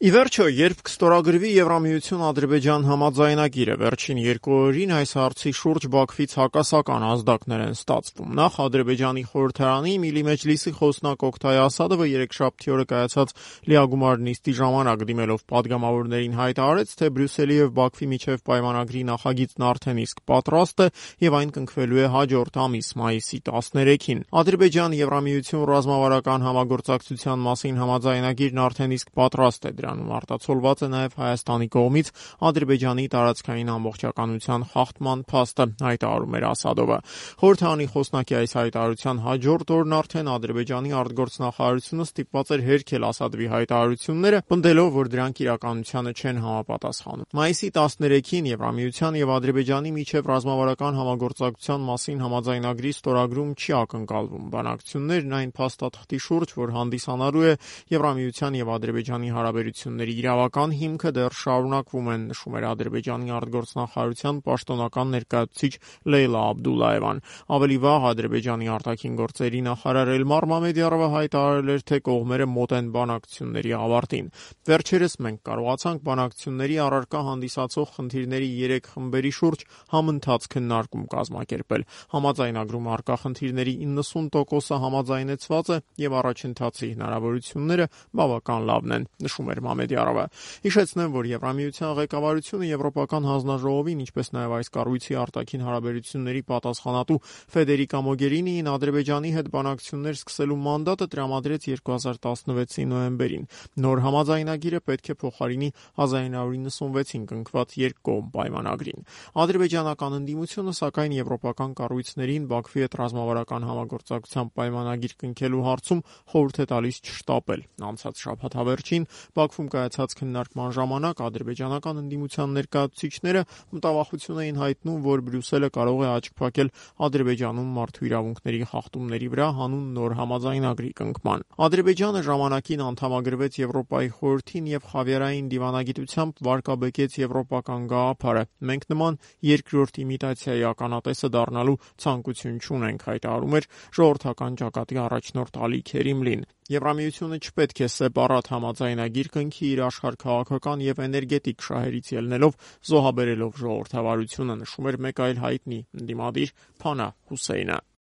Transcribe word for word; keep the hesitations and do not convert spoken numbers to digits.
Ի վերջո, երբ կստորագրվի Եվրամիություն-Ադրբեջան համաձայնագիրը, վերջին երկու օրերին այս հարցի շուրջ Բաքվից հակասական ազդակներ են ստացվում։ Նախ Ադրբեջանի խորհրդարանի Միլի Մեջլիսի խոսնակ Օկթայ Ասադովը երեքշաբթի օրը կայացած լիագումար նիստի ժամանակ դիմելով պատգամավորներին հայտարարեց, թե Բրյուսելի եւ Բաքվի միջև պայմանագրի նախագիծն արդեն իսկ պատրաստ է եւ այն կնքվելու է հաջորդ ամիս մայիսի տասներեքին։ Ադրբեջան-Եվրամիություն ռազմավարական համագործակցության մասին համաձայնագիրն արդեն իսկ պատրաստ է, դրանում արտացոլված է նաև Հայաստանի կողմից Ադրբեջանի տարածքային ամբողջականության խախտման փաստը, հայտարարում էր Ասադովը։ Խորհրդարանի խոսնակի այս հայտարարության հաջորդ օրն արդեն Ադրբեջանի արտգործնախարարությունը ստիպված էր հերքել Ասադովի հայտարարությունները, պնդելով, որ դրանք իրականությանը չեն համապատասխանում։ Մայիսի տասներեքին Եվրամիության եւ Ադրբեջանի միջև ռազմավարական համագործակցության մասին համաձայնագրի ստորագրում չի ակնկալվում։ Բանակցություններն այն փաստաթղթի շուրջ, որ հանդիսանալու է Եվրամիության եւ Ադրբեջանի հարաբերությունների իրավական հիմքը, դեռ շարունակվում են, նշում էր Ադրբեջանի արտգործնախարարության պաշտոնական ներկայացուցիչ Լեյլա Աբդուլլաևան։ Ավելի վաղ Ադրբեջանի արտաքին գործերի նախարար Էլմար Մամեդյարովը հայտարարել էր, թե կողմերը մոտ են բանակցությունների ավարտին։ Վերջերս մենք կարողացանք բանակցությունների առարկա հանդիսացող խնդիրների երեք խմբերի շուրջ համընթաց քննարկում կազմակերպել։ Համաձայնագրում առկա խնդիրների իննսուն տոկոսը համաձայնեցված է եւ առաջընթացի հնարավորությունները բավական լավն են, նշում էր Մամեդյարովը։ Հիշեցնեմ, որ Եվրամիության ղեկավարությունը Եվրոպական հանձնաժողովին, ինչպես նաև այս կառույցի արտաքին հարաբերությունների պատասխանատու Ֆեդերիկա Մոգերինիին Ադրբեջանի հետ բանակցություններ սկսելու մանդատը տրամադրեց երկու հազար տասնվեցի նոյեմբերին։ Նոր համաձայնագիրը պետք է փոխարինի հազար իննյակ նվաթից կնքված երկկողմ պայմանագրին։ Ադրբեջանական ընդդիմությունը, սակայն, եվրոպական կառույցներին Բաքվի հետ ռազմավարական համագործակցության պայմանագիր կնքելու հարցում խորհուրդ է տալիս չշտապել։ Անցած շաբաթավերջին Բաքվում կայացած քննարկման ժամանակ ադրբեջանական ընդդիմության ներկայացուցիչները մտավախություն էին հայտնում, որ Բրյուսելը կարող է աչք փակել Ադրբեջանում մարդու իրավունքների խախտումների վրա հանուն նոր համաձայնագրի կնքման։ Ադրբեջանը ժամանակին անդամագրվեց Եվրոպայի խորհրդին եւ խավիարային դիվանագիտությամբ վարկաբեկեց եվրոպական գաղափարը։ Մենք նման երկրորդ իմիտացիայի ականատեսը դառնալու ցանկություն չունենք, հայտարարում էր ժողովրդական ճակատի առաջնորդ Ալի Քերիմլին։ Եվրամիությունը չպետք է սեպարատ համաձայնագիր կնքի իր աշխարհքաղաքական եւ էներգետիկ շահերից ելնելով, զոհաբերելով ժողովրդավարությունը, նշում էր մեկ այլ հայտնի ընդդիմադիր Փանա Հուսեյնը։